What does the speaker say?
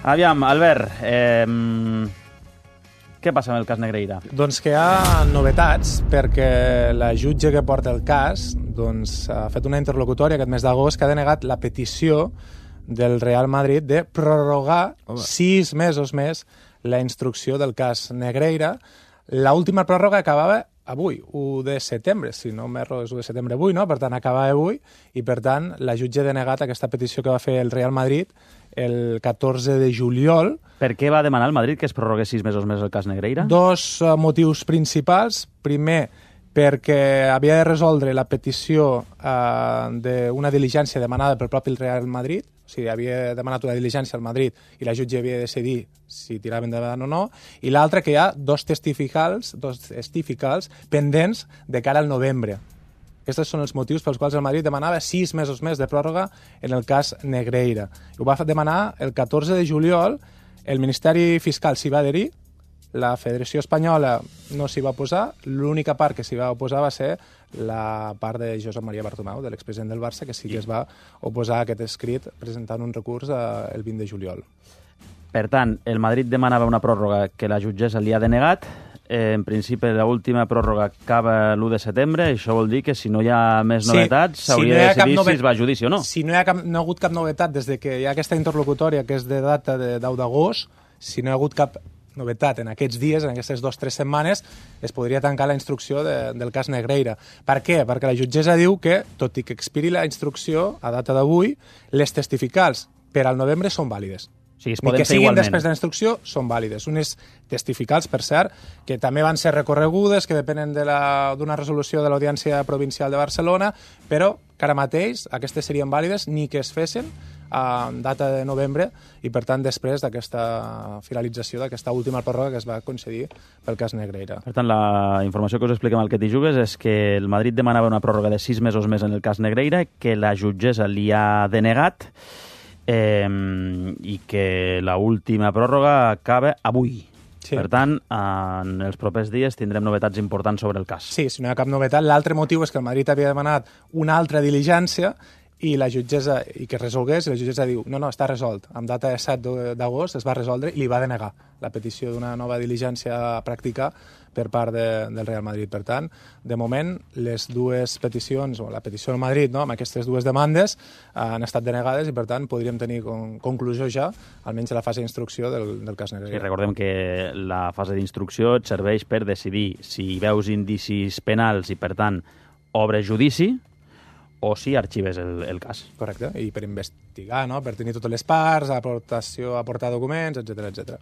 Aviam, Albert, què passa amb el cas Negreira? Doncs que hi ha novetats perquè la jutge que porta el cas ha fet una interlocutòria aquest mes d'agost que ha denegat la petició del Real Madrid de prorrogar 6 mesos més la instrucció del cas Negreira. L'última pròrroga acabava avui, 1 de setembre, si no m'erro és 1 de setembre avui, no? Per tant, acabava avui i, per tant, la jutge ha denegat aquesta petició que va fer el Real Madrid el 14 de juliol. Per què va demanar el Madrid que es prorrogués 6 mesos més el cas Negreira? Dos motius principals. Primer, perquè havia de resoldre la petició d'una diligència demanada pel propi Real Madrid, o sigui, havia demanat una diligència al Madrid i la jutge havia de decidir si tirava endavant o no, i l'altre que hi ha dos testificals pendents de cara al novembre. Aquests són els motius pels quals el Madrid demanava 6 mesos més de pròrroga en el cas Negreira. Ho va demanar el 14 de juliol, el Ministeri Fiscal s'hi va adherir, la Federació Espanyola no s'hi va oposar, l'única part que s'hi va oposar va ser la part de Josep Maria Bartomeu, de l'expresident del Barça, que sí que es va oposar a aquest escrit presentant un recurs el 20 de juliol. Per tant, el Madrid demanava una pròrroga que la jutgessa li ha denegat. En principi, l'última pròrroga acaba l'1 de setembre. Això vol dir que si no hi ha més novetats s'hauria de decidir si es va a judici o no. Si no hi ha hagut cap novetat des de que hi ha aquesta interlocutòria, que és de data de 10 d'agost, si no hi ha hagut cap novetat en aquests dies, en aquestes 2 o 3 setmanes, es podria tancar la instrucció del cas Negreira. Per què? Perquè la jutgessa diu que, tot i que expiri la instrucció a data d'avui, les testificals per al novembre són vàlides. O sigui, es Ni poden que fer siguin igualment. després de la instrucció, són vàlides. Unes testificals, per cert, que també van ser recorregudes, que depenen d'una resolució de l'Audiència Provincial de Barcelona, però que ara mateix aquestes serien vàlides ni que es fessin a data de novembre i, per tant, després d'aquesta finalització d'aquesta última pròrroga que es va concedir pel cas Negreira. Per tant, la informació que us expliquem al Que t'hi jugues és que el Madrid demanava una pròrroga de 6 mesos més en el cas Negreira, que la jutgessa li ha denegat i que l'última pròrroga acaba avui. Sí. Per tant, en els propers dies tindrem novetats importants sobre el cas. Sí, si no hi ha cap novetat. L'altre motiu és que el Madrid havia demanat una altra diligència i la jutgessa, i que es resolgués, i la jutgessa diu, no, està resolt. Amb data de 7 d'agost es va resoldre i li va denegar la petició d'una nova diligència a practicar per part del Real Madrid. Per tant, de moment, les dues peticions, o la petició del Madrid, no, amb aquestes dues demandes, han estat denegades i, per tant, podríem tenir conclusió ja, almenys a la fase d'instrucció del cas Negreira. Sí, recordem que la fase d'instrucció et serveix per decidir si veus indicis penals i, per tant, obres judici, o si arxives el cas. Correcte, i per investigar, no? Per tenir totes les parts, aportar documents, etc etc.